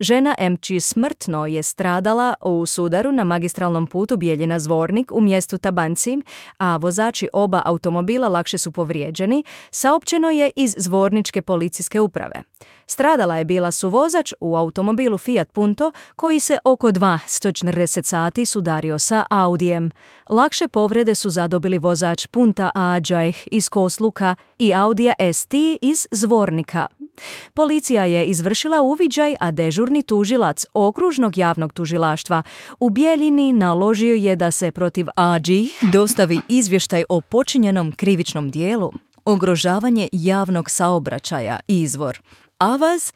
Žena MČ smrtno je stradala u sudaru na magistralnom putu Bijeljina-Zvornik u mjestu Tabanci, a vozači oba automobila lakše su povrijeđeni, saopćeno je iz Zvorničke policijske uprave. Stradala je bila suvozač u automobilu Fiat Punto koji se oko 240 sati sudario sa Audijem. Lakše povrede su zadobili vozač Punta Ađajh iz Kosluka i Audija ST iz Zvornika. Policija je izvršila uviđaj, a dežurni tužilac Okružnog javnog tužilaštva u Bijeljini naložio je da se protiv Ađi dostavi izvještaj o počinjenom krivičnom dijelu. Ugrožavanje javnog saobraćaja, izvor. Avaz,